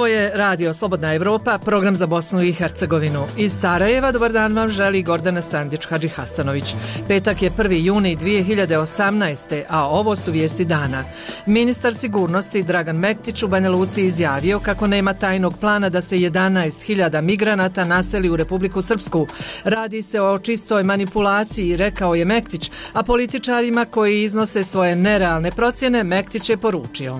Ovo je Radio Slobodna Evropa, program za Bosnu i Hercegovinu. Iz Sarajeva dobar dan vam želi Gordana Sandić-Hadži Hasanović. Petak je 1. juni 2018. a ovo su vijesti dana. Ministar sigurnosti Dragan Mektić u Banja Luci izjavio kako nema tajnog plana da se 11.000 migranata naseli u Republiku Srpsku. Radi se o čistoj manipulaciji, rekao je Mektić, a političarima koji iznose svoje nerealne procjene Mektić je poručio: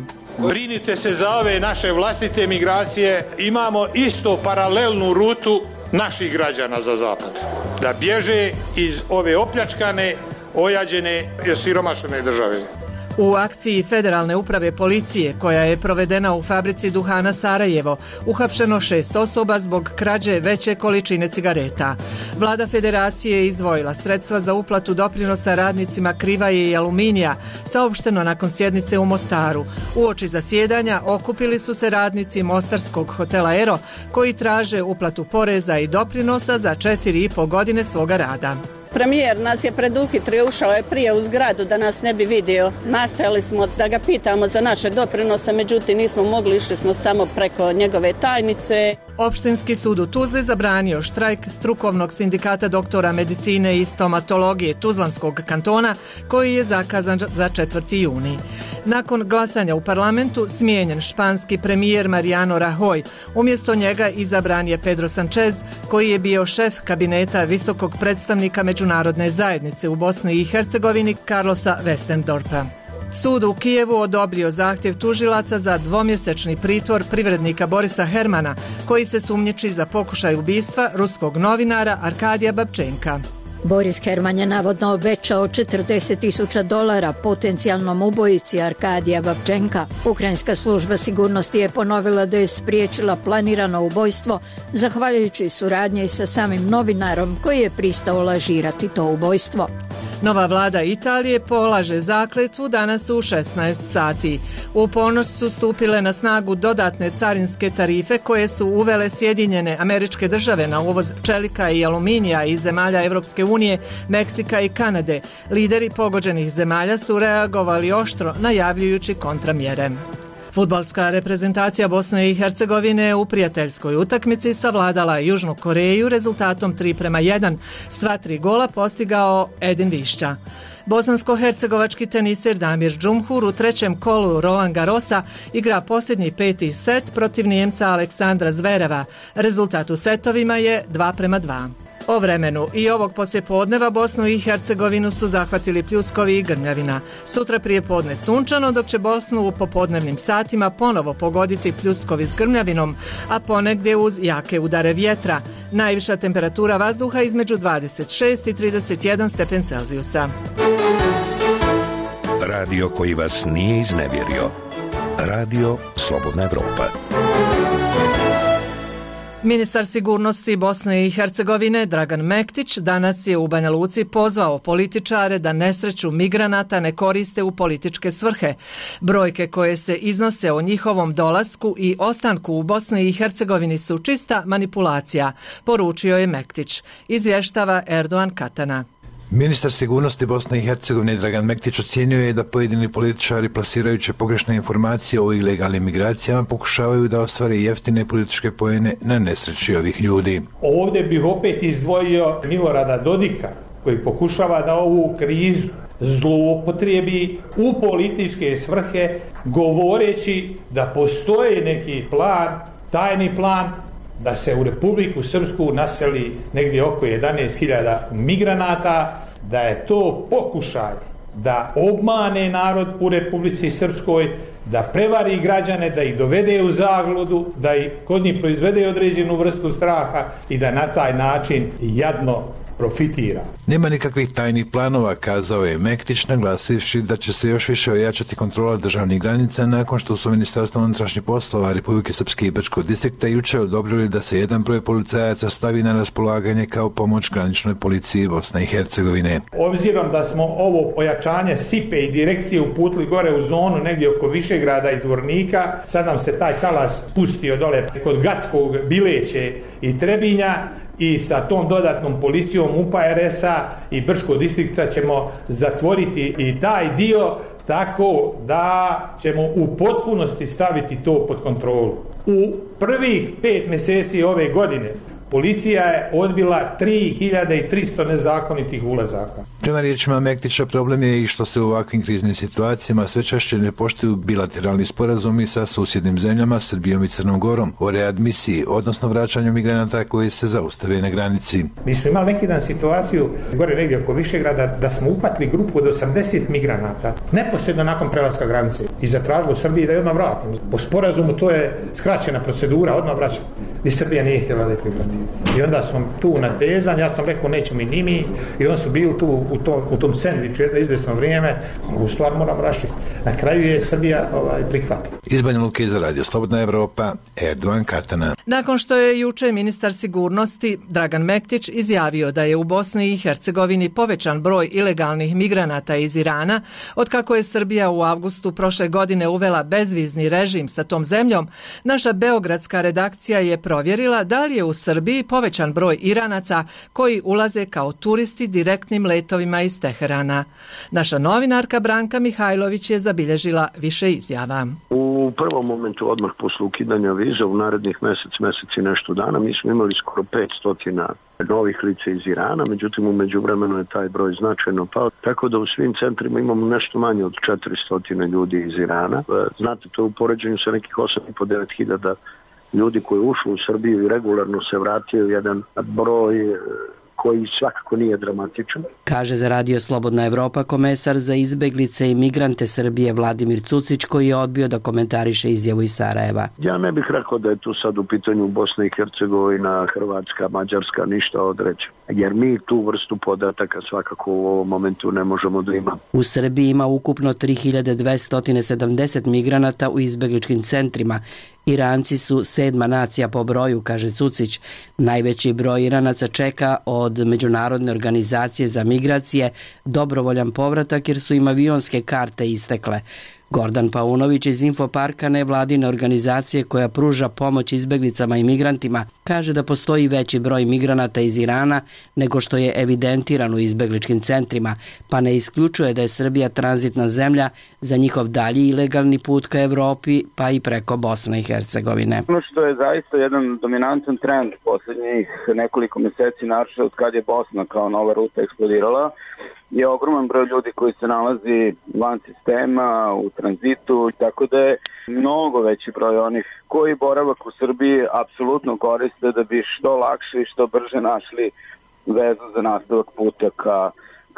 Brinite se za ove naše vlastite migracije, imamo isto paralelnu rutu naših građana za zapad. Da bježe iz ove opljačkane, ojađene i osiromašene države. U akciji Federalne uprave policije koja je provedena u fabrici duhana Sarajevo uhapšeno 6 osoba zbog krađe veće količine cigareta. Vlada Federacije je izdvojila sredstva za uplatu doprinosa radnicima Krivaje i Aluminija, saopšteno nakon sjednice u Mostaru. Uoči zasjedanja okupili su se radnici mostarskog hotela Ero koji traže uplatu poreza i doprinosa za 4,5 godine svoga rada. Premijer nas je preduhitrio, ušao je prije u zgradu da nas ne bi vidio. Nastojali smo da ga pitamo za naše doprinose, međutim nismo mogli, išli smo samo preko njegove tajnice. Opštinski sud u Tuzli zabranio štrajk strukovnog sindikata doktora medicine i stomatologije Tuzlanskog kantona koji je zakazan za 4. juni. Nakon glasanja u parlamentu smijenjen španski premijer Mariano Rajoy. Umjesto njega izabran je Pedro Sanchez koji je bio šef kabineta visokog predstavnika međunarodne zajednice u Bosni i Hercegovini Carlosa Westendorpa. Sud u Kijevu odobrio zahtjev tužilaca za dvomjesečni pritvor privrednika Borisa Hermana koji se sumnjiči za pokušaj ubistva ruskog novinara Arkadija Babčenka. Boris Herman je navodno obećao $40,000 potencijalnom ubojici Arkadija Babčenka. Ukrajinska služba sigurnosti je ponovila da je spriječila planirano ubojstvo zahvaljujući suradnji sa samim novinarom koji je pristao lažirati to ubojstvo. Nova vlada Italije polaže zakletvu danas u 16 sati. U ponoć su stupile na snagu dodatne carinske tarife koje su uvele Sjedinjene Američke Države na uvoz čelika i aluminija iz zemalja Evropske unije, Meksika i Kanade. Lideri pogođenih zemalja su reagovali oštro najavljujući kontramjere. Fudbalska reprezentacija Bosne i Hercegovine u prijateljskoj utakmici savladala Južnu Koreju rezultatom 3:1. Sva 3 gola postigao Edin Višća. Bosansko-hercegovački teniser Damir Džumhur u trećem kolu Roland Garrosa igra posljednji 5. set protiv Nijemca Aleksandra Zvereva. Rezultat u setovima je 2:2. O vremenu i ovog poslijepodneva Bosnu i Hercegovinu su zahvatili pljuskovi i grmljavina. Sutra prijepodne sunčano, dok će Bosnu u popodnevnim satima ponovo pogoditi pljuskovi s grmljavinom, a ponegdje uz jake udare vjetra. Najviša temperatura vazduha između 26 i 31 stepen Celzijusa. Radio koji vas nije iznevjerio. Radio Slobodna Evropa. Ministar sigurnosti Bosne i Hercegovine Dragan Mektić danas je u Banja Luci pozvao političare da nesreću migranata ne koriste u političke svrhe. Brojke koje se iznose o njihovom dolasku i ostanku u Bosni i Hercegovini su čista manipulacija, poručio je Mektić. Izvještava Erdogan Katana. Ministar sigurnosti Bosne i Hercegovine Dragan Mektić ocijenio je da pojedini političari plasirajući pogrešne informacije o ilegalnim migracijama pokušavaju da ostvare jeftine političke poene na nesreći ovih ljudi. Ovdje bih opet izdvojio Milorada Dodika koji pokušava da ovu krizu zloupotrijebi u političke svrhe govoreći da postoji neki plan, tajni plan, da se u Republiku Srpsku naseli negdje oko 11.000 migranata, da je to pokušaj da obmane narod u Republici Srpskoj, da prevari građane, da ih dovede u zabludu, da ih kod njih proizvede određenu vrstu straha i da na taj način jadno profitira. Nema nikakvih tajnih planova, kazao je Mektić, naglasivši da će se još više ojačati kontrola državnih granica nakon što su Ministarstvo unutrašnjih poslova Republike Srpske i Brčkog distrikta juče odobrili da se jedan broj policajaca stavi na raspolaganje kao pomoć graničnoj policiji Bosne i Hercegovine. Obzirom da smo ovo pojačanje SIPE i direkcije uputili gore u zonu negdje oko Višegrada i Zvornika, sad nam se taj talas pustio dole kod Gatskog, Bileće i Trebinja, i sa tom dodatnom policijom UPA RS-a i Brčkog distrikta ćemo zatvoriti i taj dio tako da ćemo u potpunosti staviti to pod kontrolu. U prvih 5 mjeseci ove godine policija je odbila 3300 nezakonitih ulazaka. Prema riječima Mektića, problem je i što se u ovakvim kriznim situacijama sve češće ne poštuju bilateralni sporazumi sa susjednim zemljama, Srbijom i Crnom Gorom, o readmisiji, odnosno vraćanju migranata koji se zaustave na granici. Mi smo imali neki dan situaciju, gore negdje oko Višegrada, da smo uhvatili grupu od 80 migranata, neposredno nakon prelaska granice, i zatražili u Srbiji da je odmah vratimo. Po sporazumu to je skraćena procedura, odmah vraćamo. I Srbija nije htjela da je prihvati. I onda smo tu natezani, ja sam rekao nećemo i mi, i oni su bili tu u tom sendviču jedno izvjesno vrijeme, u stvar moramo raščistiti. Na kraju je Srbija prihvatila. Iz Banja Luke za Radio Slobodna Evropa, Erdogan Katana. Nakon što je juče ministar sigurnosti Dragan Mektić izjavio da je u Bosni i Hercegovini povećan broj ilegalnih migranata iz Irana, otkako je Srbija u avgustu prošle godine uvela bezvizni režim sa tom zemljom, naša beogradska redakcija je provjerila da li je u Srbiji povećan broj Iranaca koji ulaze kao turisti direktnim letovima iz Teherana. Naša novinarka Branka Mihajlović je zabilježila više izjava. U prvom momentu odmah posle ukidanja viza u narednih mesec i nešto dana mi smo imali skoro 500 novih lica iz Irana, međutim u međuvremenu je taj broj značajno pao, tako da u svim centrima imamo nešto manje od 400 ljudi iz Irana. Znate, to je u poređenju sa nekih 8.500-9 hiljada ljudi koji je ušlo u Srbiju i regularno se vratio, jedan broj koji svakako nije dramatičan. Kaže za Radio Slobodna Evropa komesar za izbeglice i migrante Srbije Vladimir Cucić, koji je odbio da komentariše izjavu iz Sarajeva. Ja ne bih rekao da je tu sad u pitanju Bosna i Hercegovina, Hrvatska, Mađarska, ništa odreći. Jer mi tu vrstu podataka svakako u ovom momentu ne možemo da imamo. U Srbiji ima ukupno 3270 migranata u izbegličkim centrima. Iranci su 7. nacija po broju, kaže Cucić. Najveći broj Iranaca čeka od Međunarodne organizacije za migracije dobrovoljan povratak jer su im avionske karte istekle. Gordan Paunović iz Infoparka, nevladine organizacije koja pruža pomoć izbeglicama i migrantima, kaže da postoji veći broj migranata iz Irana nego što je evidentiran u izbegličkim centrima, pa ne isključuje da je Srbija tranzitna zemlja za njihov dalji ilegalni put ka Evropi, pa i preko Bosne i Hercegovine. Ono što je zaista jedan dominantan trend posljednjih nekoliko mjeseci, naročito od kad je Bosna kao nova ruta eksplodirala, je ogroman broj ljudi koji se nalazi van sistema, u tranzitu, tako da je mnogo veći broj onih koji boravak u Srbiji apsolutno koriste da bi što lakše i što brže našli vezu za nastavak puta ka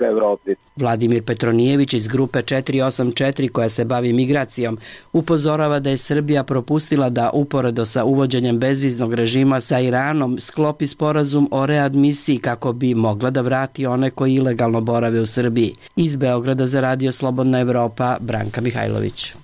Evropi. Vladimir Petronijević iz grupe 484 koja se bavi migracijom upozorava da je Srbija propustila da uporedo sa uvođenjem bezviznog režima sa Iranom sklopi sporazum o readmisiji kako bi mogla da vrati one koji ilegalno borave u Srbiji. Iz Beograda za Radio Slobodna Evropa, Branka Mihajlović.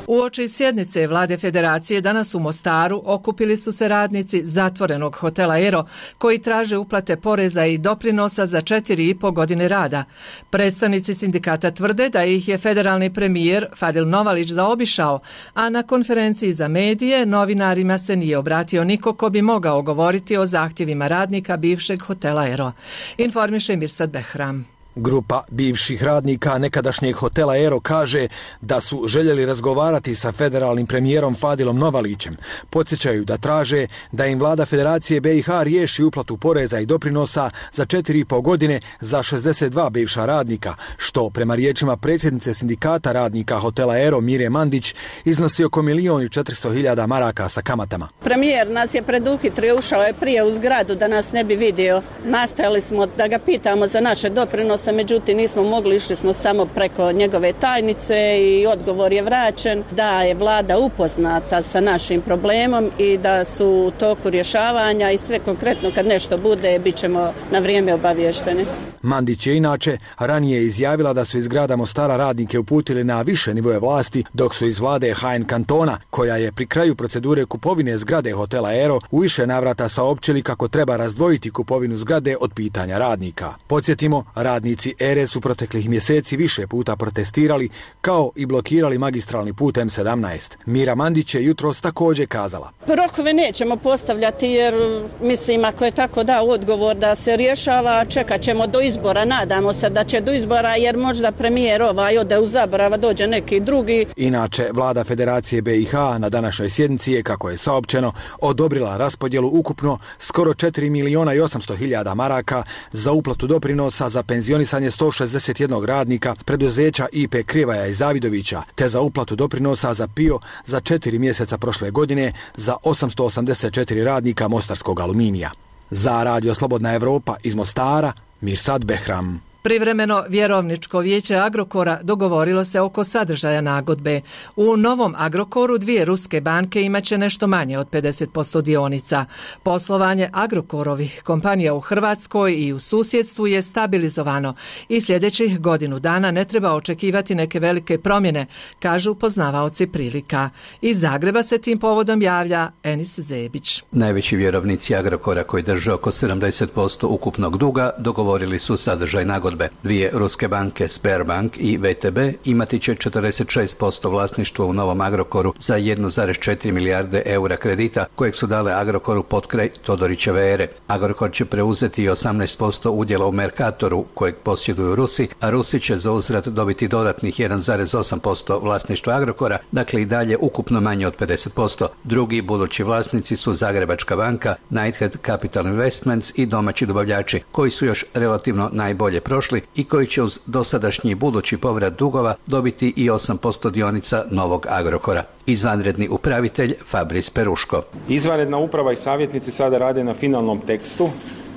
Uoči sjednice Vlade Federacije danas u Mostaru okupili su se radnici zatvorenog hotela Ero koji traže uplate poreza i doprinosa za 4,5 godine rada. Predstavnici sindikata tvrde da ih je federalni premijer Fadil Novalić zaobišao, a na konferenciji za medije novinarima se nije obratio niko ko bi mogao govoriti o zahtjevima radnika bivšeg hotela Ero. Informiše Mirsad Behram. Grupa bivših radnika nekadašnjeg hotela Ero kaže da su željeli razgovarati sa federalnim premijerom Fadilom Novalićem. Podsjećaju da traže da im vlada Federacije BiH riješi uplatu poreza i doprinosa za 4,5 godine za 62 bivša radnika, što prema riječima predsjednice sindikata radnika hotela Ero Mire Mandić iznosi oko 1.400.000 maraka sa kamatama. Premijer nas je preduhitrio, ušao je prije u zgradu da nas ne bi vidio. Nastojali smo da ga pitamo za naše doprinose, međutim nismo mogli, išli smo samo preko njegove tajnice i odgovor je vraćen da je vlada upoznata sa našim problemom i da su u toku rješavanja i sve konkretno kad nešto bude bit ćemo na vrijeme obavješteni. Mandić je inače ranije izjavila da su iz grada Mostara radnike uputili na više nivoje vlasti, dok su iz vlade HN kantona, koja je pri kraju procedure kupovine zgrade hotela Ero, u više navrata saopćili kako treba razdvojiti kupovinu zgrade od pitanja radnika. Podsjetimo, radnici Ere su proteklih mjeseci više puta protestirali, kao i blokirali magistralni put M17. Mira Mandić je jutros također kazala: Rokove nećemo postavljati jer mislim ako je tako da odgovor da se rješava, čekat ćemo do izbora izbora. Nadamo se da će do izbora, jer možda premijer ode u zaborav, dođe neki drugi. Inače, vlada Federacije BiH na današnjoj sjednici je, kako je saopćeno, odobrila raspodjelu ukupno skoro 4.800.000 maraka za uplatu doprinosa za penzionisanje 161 radnika preduzeća IP Krivaja i Zavidovića, te za uplatu doprinosa za PIO za 4 mjeseca prošle godine za 884 radnika mostarskog aluminija. Za Radio Slobodna Evropa iz Mostara, Mirsad Behram. Privremeno vjerovničko vijeće Agrokora dogovorilo se oko sadržaja nagodbe. U novom Agrokoru 2 ruske banke imaće nešto manje od 50% dionica. Poslovanje Agrokorovih kompanija u Hrvatskoj i u susjedstvu je stabilizovano i sljedećih godinu dana ne treba očekivati neke velike promjene, kažu poznavaoci prilika. Iz Zagreba se tim povodom javlja Enis Zebić. Najveći vjerovnici Agrokora koji drže oko 70% ukupnog duga dogovorili su sadržaj nagodbe. 2 ruske banke, Sberbank i VTB, imati će 46% vlasništva u novom Agrokoru za 1,4 milijarde eura kredita kojeg su dale Agrokoru potkraj Todorićeve ere. Agrokor će preuzeti i 18% udjela u Mercatoru kojeg posjeduju Rusi, a Rusi će za uzvrat dobiti dodatnih 1,8% vlasništva Agrokora, dakle i dalje ukupno manje od 50%. Drugi budući vlasnici su Zagrebačka banka, Knighthead Capital Investments i domaći dobavljači, koji su još relativno najbolje prošli i koji će uz dosadašnji budući povrat dugova dobiti i 8% dionica novog Agrokora. Izvanredni upravitelj Fabris Peruško. Izvanredna uprava i savjetnici sada rade na finalnom tekstu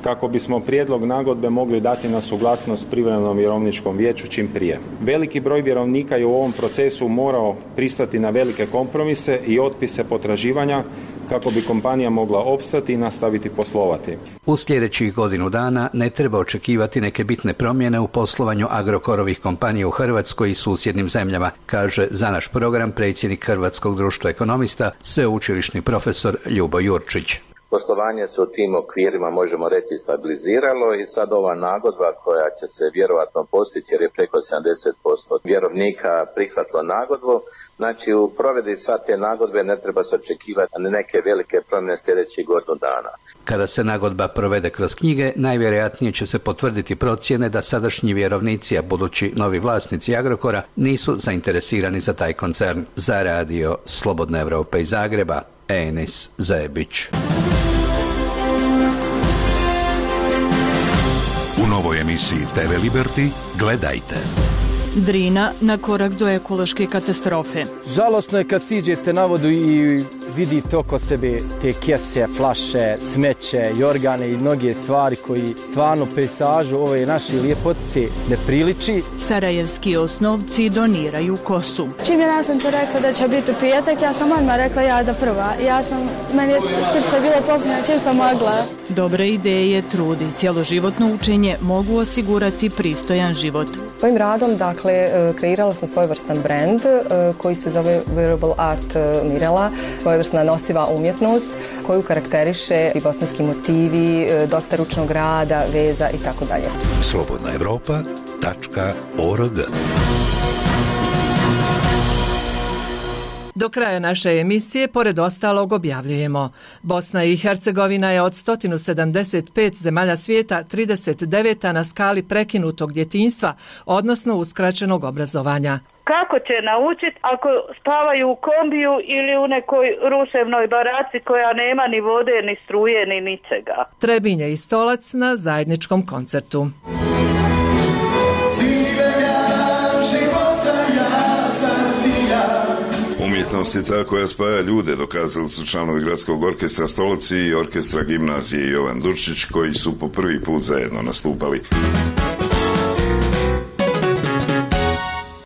kako bismo prijedlog nagodbe mogli dati na suglasnost privremenom vjerovničkom vijeću čim prije. Veliki broj vjerovnika je u ovom procesu morao pristati na velike kompromise i otpise potraživanja kako bi kompanija mogla opstati i nastaviti poslovati. U sljedećih godinu dana ne treba očekivati neke bitne promjene u poslovanju Agrokorovih kompanija u Hrvatskoj i susjednim zemljama, kaže za naš program predsjednik Hrvatskog društva ekonomista, sveučilišni profesor Ljubo Jurčić. Poslovanje se u tim okvirima, možemo reći, stabiliziralo i sad ova nagodba koja će se vjerovatno postići, jer je preko 70% vjerovnika prihvatilo nagodbu, znači u provedbi sad te nagodbe ne treba se očekivati neke velike promjene sljedećih godinu dana. Kada se nagodba provede kroz knjige, najvjerojatnije će se potvrditi procjene da sadašnji vjerovnici, a budući novi vlasnici Agrokora, nisu zainteresirani za taj koncern. Za Radio Slobodna Evropa iz Zagreba, Enis Zebić. U novoj emisiji TV Liberty gledajte. Drina na korak do ekološke katastrofe. Žalosno je kad siđete na vodu i vidite oko sebe te kese, flaše, smeće, jorgane i mnoge stvari koji stvarno pejsažu ove naše lijepotice ne priliči. Sarajevski osnovci doniraju kosu. Čim je nastavnica rekla da će biti u petak, ja sam odmah rekla ja da prva. Meni je srce bilo popunjeno čim sam mogla. Dobre ideje, trud i cjeloživotno učenje mogu osigurati pristojan život. Svojim radom, kreirala sam svojevrstan brand koji se zove Wearable Art Mirela, svojevrsna nosiva umjetnost koju karakteriše i bosanski motivi, dosta ručnog rada, veza i tako dalje. slobodnaevropa.org. Do kraja naše emisije, pored ostalog, objavljujemo: Bosna i Hercegovina je od 175 zemalja svijeta 39. na skali prekinutog djetinjstva, odnosno uskraćenog obrazovanja. Kako će naučiti ako spavaju u kombiju ili u nekoj ruševnoj baraci koja nema ni vode, ni struje, ni ničega? Trebinje i Stolac na zajedničkom koncertu. Umjetnost je ta koja spaja ljude, dokazali su članovi Gradskog orkestra Stolac i orkestra gimnazije Jovan Durčić, koji su po prvi put zajedno nastupali.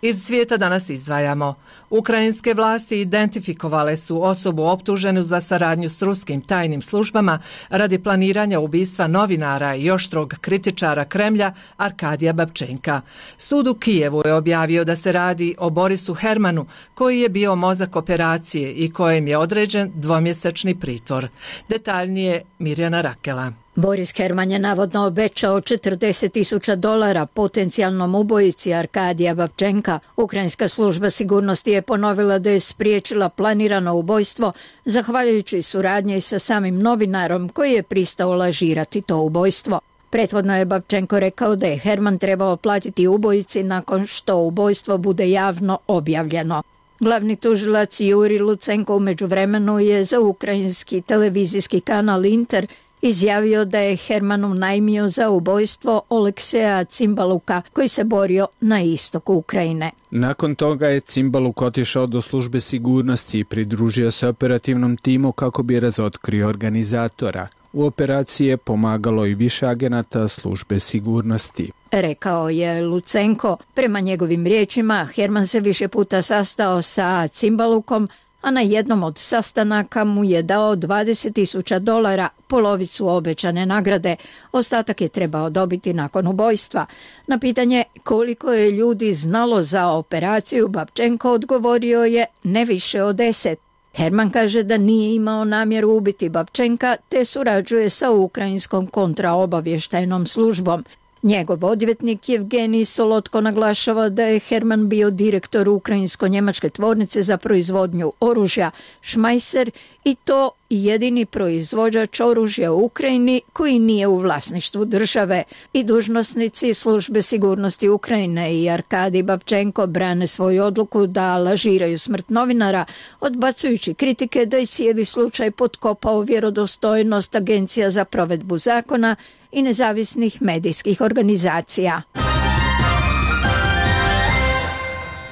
Iz svijeta danas izdvajamo: Ukrajinske vlasti identifikovale su osobu optuženu za saradnju s ruskim tajnim službama radi planiranja ubistva novinara i oštrog kritičara Kremlja Arkadija Babčenka. Sud u Kijevu je objavio da se radi o Borisu Hermanu, koji je bio mozak operacije i kojem je određen dvomjesečni pritvor. Detaljnije Mirjana Rakela. Boris Herman je navodno obećao $40,000 potencijalnom ubojici Arkadija Babčenka. Ukrajinska služba sigurnosti je ponovila da je spriječila planirano ubojstvo zahvaljujući suradnji sa samim novinarom koji je pristao lažirati to ubojstvo. Prethodno je Babčenko rekao da je Herman trebao platiti ubojici nakon što ubojstvo bude javno objavljeno. Glavni tužilac Juri Lucenko u međuvremenu je za ukrajinski televizijski kanal Inter izjavio da je Herman unajmio za ubojstvo Olekseja Cimbaluka koji se borio na istoku Ukrajine. Nakon toga je Cimbaluk otišao do službe sigurnosti i pridružio se operativnom timu kako bi razotkrio organizatora. U operaciji je pomagalo i više agenata službe sigurnosti. Rekao je Lucenko. Prema njegovim riječima, Herman se više puta sastao sa Cimbalukom, a na jednom od sastanaka mu je dao $20,000, polovicu obećane nagrade. Ostatak je trebao dobiti nakon ubojstva. Na pitanje koliko je ljudi znalo za operaciju, Babčenko odgovorio je ne više od 10. Herman kaže da nije imao namjeru ubiti Babčenka te surađuje sa ukrajinskom kontraobavještajnom službom. Njegov odvjetnik Evgenij Solotko naglašava da je Herman bio direktor ukrajinsko-njemačke tvornice za proizvodnju oružja Šmajser i to jedini proizvođač oružja u Ukrajini koji nije u vlasništvu države. I dužnosnici službe sigurnosti Ukrajine i Arkadij Babčenko brane svoju odluku da lažiraju smrt novinara, odbacujući kritike da je cijeli slučaj potkopao vjerodostojnost Agencija za provedbu zakona i nezavisnih medijskih organizacija.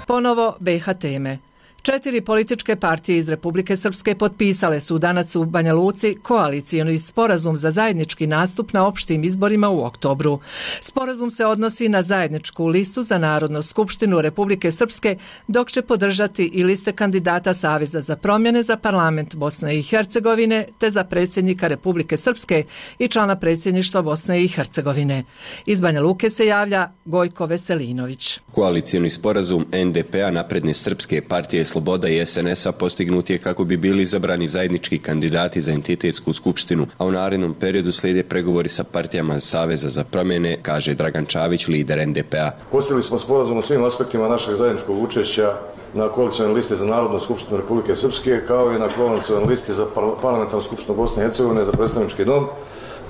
Ponovo BiH teme. 4 političke partije iz Republike Srpske potpisale su danas u Banja Luci koalicioni sporazum za zajednički nastup na opštim izborima u oktobru. Sporazum se odnosi na zajedničku listu za Narodnu skupštinu Republike Srpske, dok će podržati i liste kandidata Saveza za promjene za parlament Bosne i Hercegovine te za predsjednika Republike Srpske i člana predsjedništva Bosne i Hercegovine. Iz Banja Luke se javlja Gojko Veselinović. Koalicioni sporazum NDP-a, Napredne srpske partije Sloboda i SNS-a postignut je kako bi bili izabrani zajednički kandidati za entitetsku skupštinu, a u narednom periodu slijede pregovori sa partijama Saveza za promjene, kaže Dragan Čavić, lider NDP-a. Postigli smo sporazum u svim aspektima našeg zajedničkog učešća na koalicionoj listi za Narodnu skupštinu Republike Srpske, kao i na koalicionoj listi za parlamentarnu skupštinu Bosne i Hercegovine za predstavnički dom,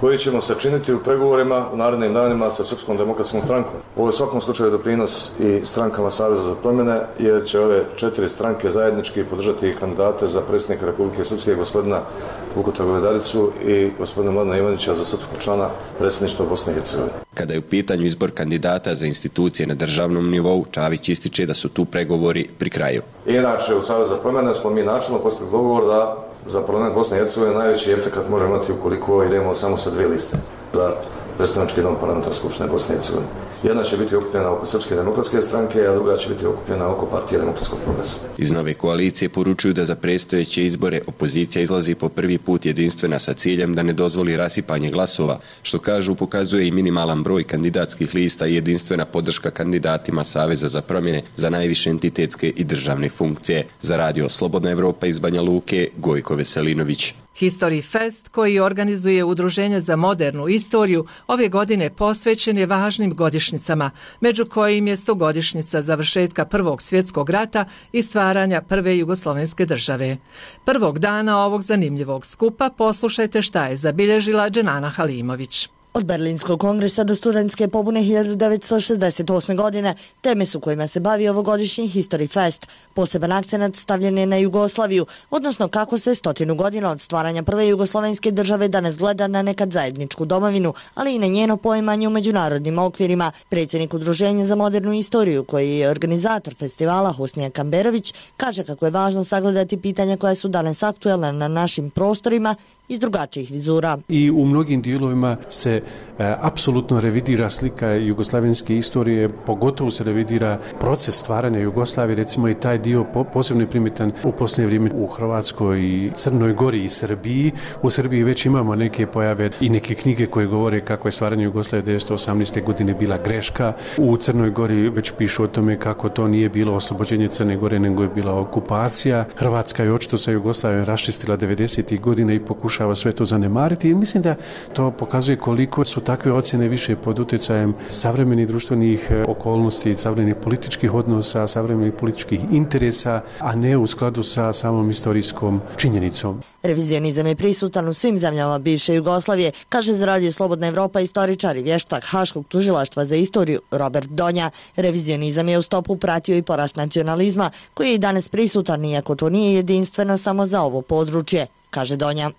koji ćemo sačiniti u pregovorima u narednim danima sa Srpskom demokratskom strankom. Ovo je u svakom slučaju doprinos i strankama Saveza za promjene, jer će ove 4 stranke zajednički podržati kandidate za predsjednika Republike Srpske, gospodina Vukuta Govedaricu i gospodina Mladena Ivanića za srpskog člana predsjedništva Bosne i Hercegovine. Kada je u pitanju izbor kandidata za institucije na državnom nivou, Čavić ističe da su tu pregovori pri kraju. Inače, u Saveza za promjene smo mi načelno postigli dogovor da za parlament Bosne i Hercegovine najveći efekat može imati ukoliko idemo samo sa 2 liste za predstavnički dom parlamentarne skupštine Bosne i Hercegovine. Jedna će biti okupljena oko Srpske demokratske stranke, a druga će biti okupljena oko Partije demokratskog progresa. Iz nove koalicije poručuju da za predstojeće izbore opozicija izlazi po prvi put jedinstvena sa ciljem da ne dozvoli rasipanje glasova, što kažu pokazuje i minimalan broj kandidatskih lista i jedinstvena podrška kandidatima Saveza za promjene za najviše entitetske i državne funkcije. Za radio Slobodna Evropa iz Banja Luke, Gojko Veselinović. History Fest, koji organizuje Udruženje za modernu istoriju, ove godine posvećen je važnim godišnjicama, među kojim je 100-godišnjica završetka Prvog svjetskog rata i stvaranja prve jugoslovenske države. Prvog dana ovog zanimljivog skupa poslušajte šta je zabilježila Dženana Halimović. Od Berlinskog kongresa do studentske pobune 1968. godine teme su kojima se bavi ovogodišnji History Fest. Poseban akcenat stavljen je na Jugoslaviju, odnosno kako se 100 godina od stvaranja prve jugoslovenske države danas gleda na nekad zajedničku domovinu, ali i na njeno poimanje u međunarodnim okvirima. Predsjednik Udruženja za modernu istoriju, koji je organizator festivala, Husnija Kamberović, kaže kako je važno sagledati pitanja koja su danas aktuelna na našim prostorima iz drugačijih vizura. I u mnogim dijelovima se apsolutno revidira slika jugoslavenske istorije, pogotovo se revidira proces stvaranja Jugoslavije, recimo i taj dio posebno je primijetan u posljednje vrijeme u Hrvatskoj i Crnoj Gori i Srbiji. U Srbiji već imamo neke pojave i neke knjige koje govore kako je stvaranje Jugoslavije 1918. godine bila greška. U Crnoj Gori već pišu o tome kako to nije bilo oslobođenje Crne Gore, nego je bila okupacija. Hrvatska je očito sa Jugoslavijom raščistila 90. godina i pokušala pokušava sve to zanemariti i mislim da to pokazuje koliko su takve ocjene više pod utjecajem savremenih društvenih okolnosti, savremenih političkih odnosa, savremenih političkih interesa, a ne u skladu sa samom istorijskom činjenicom. Revizionizam je prisutan u svim zemljama bivše Jugoslavije, kaže za Radio Slobodna Evropa istoričar i vještak Haškog tužilaštva za istoriju Robert Donja. Revizionizam je u stopu pratio i porast nacionalizma, koji je i danas prisutan, iako to nije jedinstveno samo za ovo područje, kaže Donja.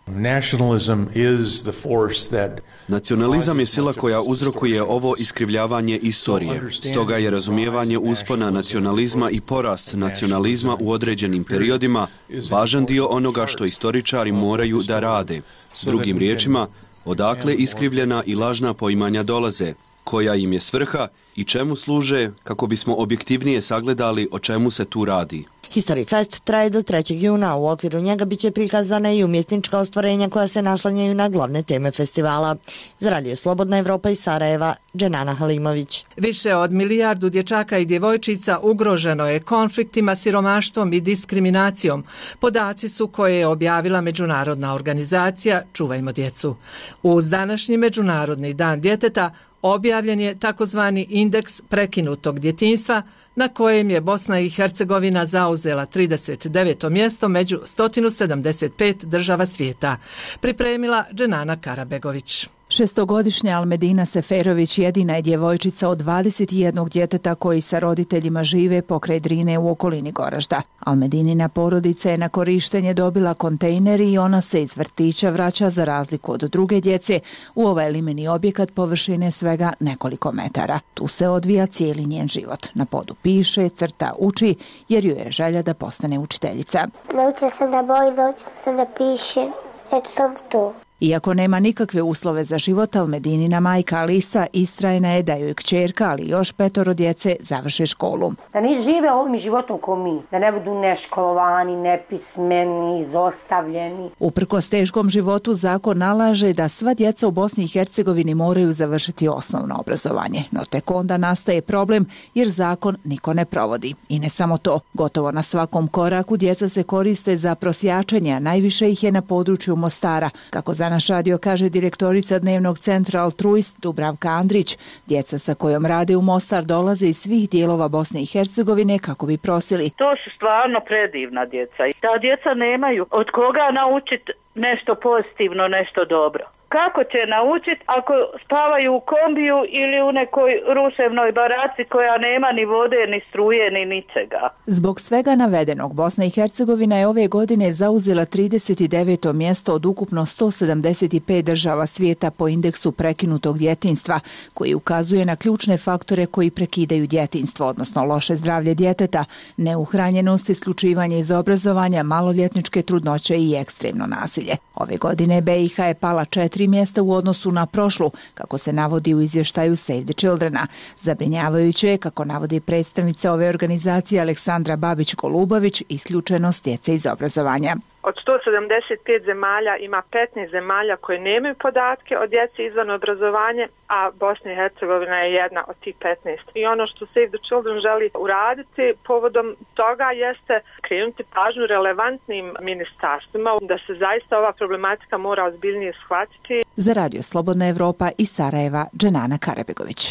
Nacionalizam je sila koja uzrokuje ovo iskrivljavanje istorije. Stoga je razumijevanje uspona nacionalizma i porast nacionalizma u određenim periodima važan dio onoga što istoričari moraju da rade. Drugim riječima, odakle iskrivljena i lažna poimanja dolaze, koja im je svrha i čemu služe, kako bismo objektivnije sagledali o čemu se tu radi. History Fest traje do 3. juna, u okviru njega biće prikazane i umjetnička ostvarenja koja se naslanjaju na glavne teme festivala. Za Radio Slobodna Evropa iz Sarajeva, Dženana Halimović. Više od 1 milijardu dječaka i djevojčica ugroženo je konfliktima, siromaštvom i diskriminacijom. Podaci su koje je objavila međunarodna organizacija Čuvajmo djecu. Uz današnji Međunarodni dan djeteta objavljen je takozvani indeks prekinutog djetinjstva, na kojem je Bosna i Hercegovina zauzela 39. mjesto među 175 država svijeta. Pripremila Dženana Karabegović. 6-godišnja Almedina Seferović jedina je djevojčica od 21 djeteta koji sa roditeljima žive pokraj Drine u okolini Goražda. Almedinina porodica je na korištenje dobila kontejner i ona se iz vrtića vraća za razliku od druge djece u ovaj limeni objekat površine svega nekoliko metara. Tu se odvija cijeli njen život. Na podu piše, crta, uči jer ju je želja da postane učiteljica. Naučila sam da bojim, naučila sam da pišem, eto sam to. Iako nema nikakve uslove za život, Almedinina majka Alisa istrajna je da joj kćerka, ali još 5 djece, završe školu. Da ne žive ovim životom ko mi, da ne budu neškolovani, nepismeni, izostavljeni. Uprkos teškom životu, zakon nalaže da sva djeca u Bosni i Hercegovini moraju završiti osnovno obrazovanje. No tek onda nastaje problem jer zakon niko ne provodi. I ne samo to, gotovo na svakom koraku djeca se koriste za prosjačenje, a najviše ih je na području Mostara, kako za naš radio kaže direktorica dnevnog centra Altruist Dubravka Andrić. Djeca sa kojom rade u Mostar dolaze iz svih dijelova Bosne i Hercegovine kako bi prosili. To su stvarno predivna djeca. Ta djeca nemaju od koga naučiti nešto pozitivno, nešto dobro. Kako će naučiti ako spavaju u kombiju ili u nekoj ruševnoj baraci koja nema ni vode, ni struje, ni ničega? Zbog svega navedenog, Bosna i Hercegovina je ove godine zauzela 39. mjesto od ukupno 175 država svijeta po indeksu prekinutog djetinjstva, koji ukazuje na ključne faktore koji prekidaju djetinjstvo, odnosno loše zdravlje djeteta, neuhranjenost, isključivanje iz obrazovanja, maloljetničke trudnoće i ekstremno nasilje. Ove godine BiH je pala 4 mjesta u odnosu na prošlu, kako se navodi u izvještaju Save the Childrena. Zabrinjavajuće je, kako navodi predstavnica ove organizacije Aleksandra Babić-Golubović, isključenost djece iz obrazovanja. Od 175 zemalja ima 15 zemalja koje nemaju podatke o djeci izvan obrazovanja, a Bosna i Hercegovina je jedna od tih 15. I ono što Save the Children želi uraditi povodom toga jeste krenuti pažnju relevantnim ministarstvima da se zaista ova problematika mora ozbiljnije shvatiti. Za Radio Slobodna Evropa iz Sarajeva, Dženana Karabegović.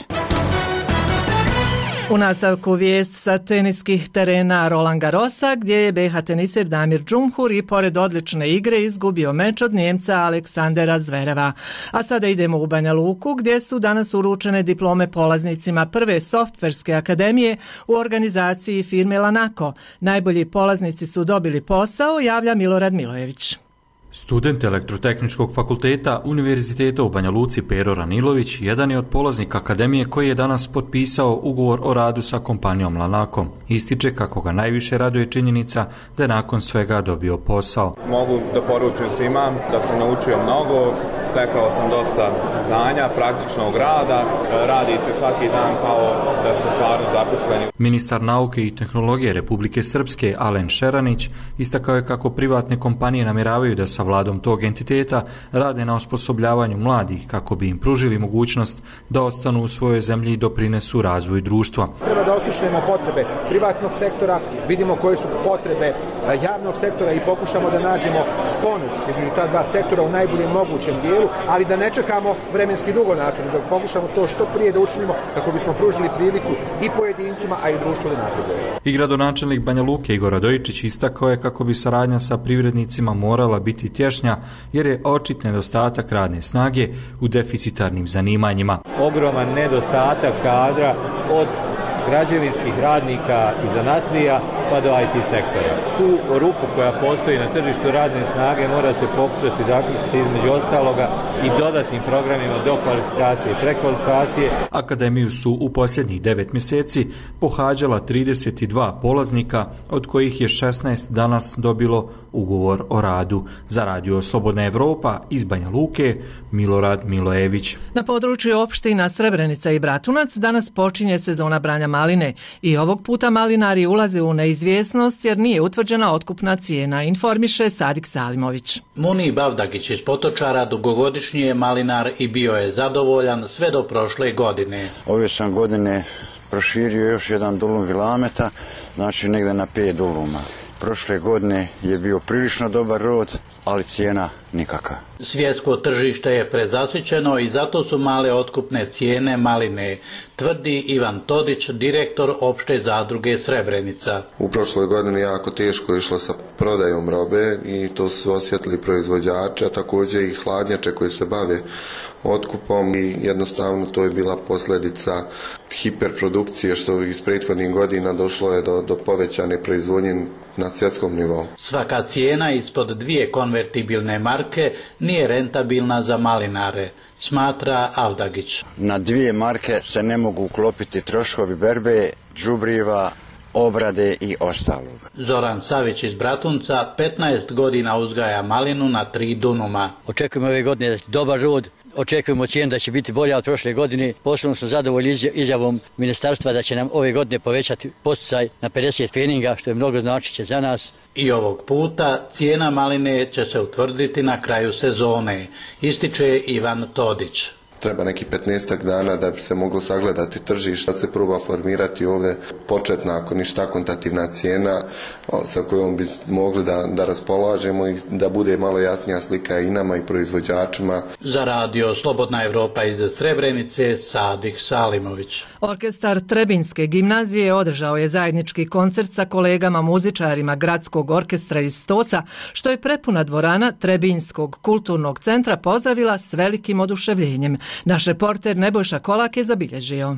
U nastavku vijest sa teniskih terena Roland Garrosa, gdje je BiH teniser Damir Džumhur i pored odlične igre izgubio meč od Njemca Aleksandera Zvereva. A sada idemo u Banja Luku, gdje su danas uručene diplome polaznicima prve softverske akademije u organizaciji firme Lanako. Najbolji polaznici su dobili posao, javlja Milorad Milojević. Student Elektrotehničkog fakulteta Univerziteta u Banja Luci Pero Ranilović jedan je od polaznika akademije koji je danas potpisao ugovor o radu sa kompanijom Lanako. Ističe kako ga najviše raduje činjenica da je nakon svega dobio posao. Mogu da poručujem svima da sam naučio mnogo, stekao sam dosta znanja, praktičnog rada, radite svaki dan kao da ste stvarno zaposleni. Ministar nauke i tehnologije Republike Srpske Alen Šeranić istakao je kako privatne kompanije namjeravaju da sa vladom tog entiteta rade na osposobljavanju mladih kako bi im pružili mogućnost da ostanu u svojoj zemlji i doprinesu razvoju društva. Treba da oslušnemo potrebe privatnog sektora, vidimo koje su potrebe javnog sektora i pokušamo da nađemo sponu između ta dva sektora u najboljem mogućem dijelu, ali da ne čekamo vremenski dugo način, da pokušamo to što prije da učinimo kako bismo pružili priliku i pojedincima, a i društvu da napreduje. I gradonačelnik Banja Luke Igor Radojičić istakao je kako bi saradnja sa privrednicima morala biti tješnja jer je očit nedostatak radne snage u deficitarnim zanimanjima. Ogroman nedostatak kadra od građevinskih radnika i zanatlija pa do IT sektora. Tu rupu koja postoji na tržištu radne snage mora se pokušati zaključiti između ostaloga i dodatnim programima dokvalifikacije i prekvalifikacije. Akademiju su u posljednjih 9 mjeseci pohađala 32 polaznika, od kojih je 16 danas dobilo ugovor o radu. Za Radio Slobodna Evropa iz Banja Luke, Milorad Milojević. Na području opština Srebrenica i Bratunac danas počinje sezona branja maline i ovog puta malinari ulaze u neizvjesnost jer nije utvrđena otkupna cijena, informiše Sadik Salimović. Munib Avdagić iz Potočara dugogodišnji je malinar i bio je zadovoljan sve do prošle godine. Ove sam godine proširio još jedan dulum vilameta, znači negdje na 5 duluma. Prošle godine je bio prilično dobar rod, ali cijena nikakva. Svjetsko tržište je prezasićeno i zato su male otkupne cijene maline, tvrdi Ivan Todić, direktor opšte zadruge Srebrenica. U prošloj godini jako teško išlo sa prodajom robe i to su osjetili proizvođači, a također i hladnjače koji se bave otkupom i jednostavno to je bila posljedica hiperprodukcije što iz prethodnih godina došlo je do povećane proizvodnje na svjetskom nivou. Svaka cijena ispod 2 konvertibilne marke nije rentabilna za malinare, smatra Avdagić. Na 2 marke se ne mogu uklopiti troškovi berbe, đubriva, obrade i ostalog. Zoran Savić iz Bratunca 15 godina uzgaja malinu na 3 dunuma. Očekujemo ove godine da će dobar rod, očekujemo cijenu da će biti bolja od prošle godine. Posebno smo zadovoljni izjavom ministarstva da će nam ove godine povećati podsticaj na 50 feninga, što je mnogo značiće za nas. I ovog puta cijena maline će se utvrditi na kraju sezone, ističe Ivan Todić. Treba neki 15 dana da bi se moglo sagledati tržište, da se proba formirati ovdje početna, ako ništa, akontativna cijena sa kojom bi mogli da raspolažemo i da bude malo jasnija slika i nama i proizvođačima. Za Radio Slobodna Evropa iz Srebrenice, Sadik Salimović. Orkestar Trebinjske gimnazije održao je zajednički koncert sa kolegama muzičarima Gradskog orkestra iz Stoca, što je prepuna dvorana Trebinjskog kulturnog centra pozdravila s velikim oduševljenjem. Naš reporter Nebojša Kolak je zabilježio.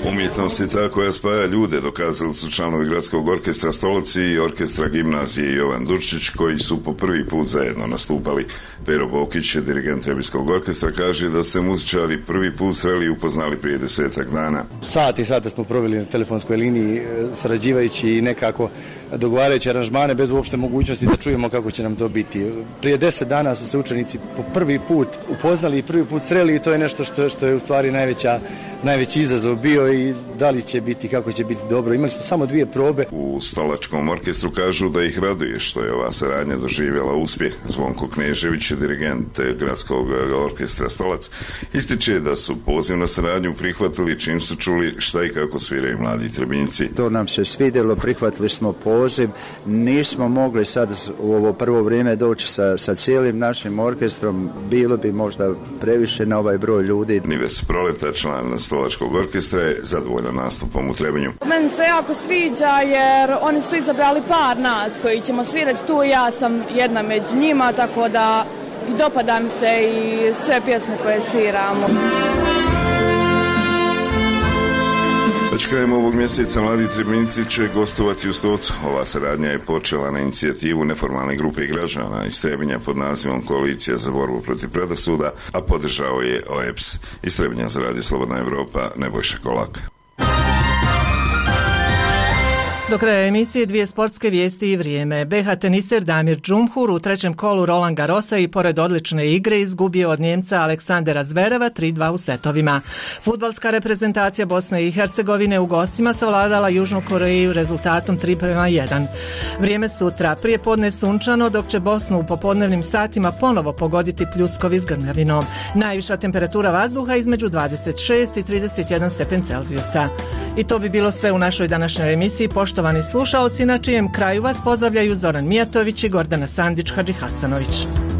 Umjetnost je ta koja spaja ljude, dokazali su članovi Gradskog orkestra Stolac i orkestra gimnazije Jovan Durčić, koji su po prvi put zajedno nastupali. Pero Bokić, dirigent Trebinjskog orkestra, kaže da se muzičari prvi put sreli i upoznali prije 10 dana. Sate i sate smo proveli na telefonskoj liniji, sarađivajući i nekako dogovarajući aranžmane bez uopšte mogućnosti da čujemo kako će nam to biti. Prije 10 dana su se učenici po prvi put upoznali i prvi put sreli i to je nešto što je u stvari najveći izazov bio i da li će biti, kako će biti dobro. Imali smo samo 2 probe. U Stolačkom orkestru kažu da ih raduje što je ova saradnja doživjela uspjeh. Zvonko Knežević, dirigent Gradskog orkestra Stolac, ističe da su poziv na saradnju prihvatili čim su čuli šta i kako sviraju mladi Trebinjci. To nam se svidjelo, prihvatili smo poziv, nismo mogli sad u ovo prvo vrijeme doći sa cijelim našim orkestrom, bilo bi možda previše na ovaj broj ljudi. Nives Proleta, član Stolačkog orkestra, je zadovoljan nastupom u Trebinju. Meni se jako sviđa jer oni su izabrali par nas koji ćemo svirati tu, ja sam jedna među njima, tako da i dopada mi se i sve pjesme koje sviramo. Već krajem ovog mjeseca mladi Trebinjci će gostovati u Stocu. Ova saradnja je počela na inicijativu neformalne grupe građana iz Trebinja pod nazivom Koalicija za borbu protiv predrasuda, a podržao je OEBS. Iz Trebinja za Radio Slobodna Evropa, Nebojša Kolak. Do kraja emisije 2 sportske vijesti i vrijeme. BH teniser Damir Džumhur u 3. kolu Roland Garrosa i pored odlične igre izgubio od Njemca Aleksandera Zvereva 3-2 u setovima. Fudbalska reprezentacija Bosne i Hercegovine u gostima savladala Južnu Koreju rezultatom 3-1. Vrijeme sutra. Prije podne sunčano, dok će Bosnu u popodnevnim satima ponovo pogoditi pljuskovi s grmljavinom. Najviša temperatura vazduha između 26 i 31 stepen Celzijusa. I to bi bilo sve u našoj današnjoj emisiji. Poštovani slušaoci, na čijem kraju vas pozdravljaju Zoran Mijatović i Gordana Sandić-Hadžihasanović.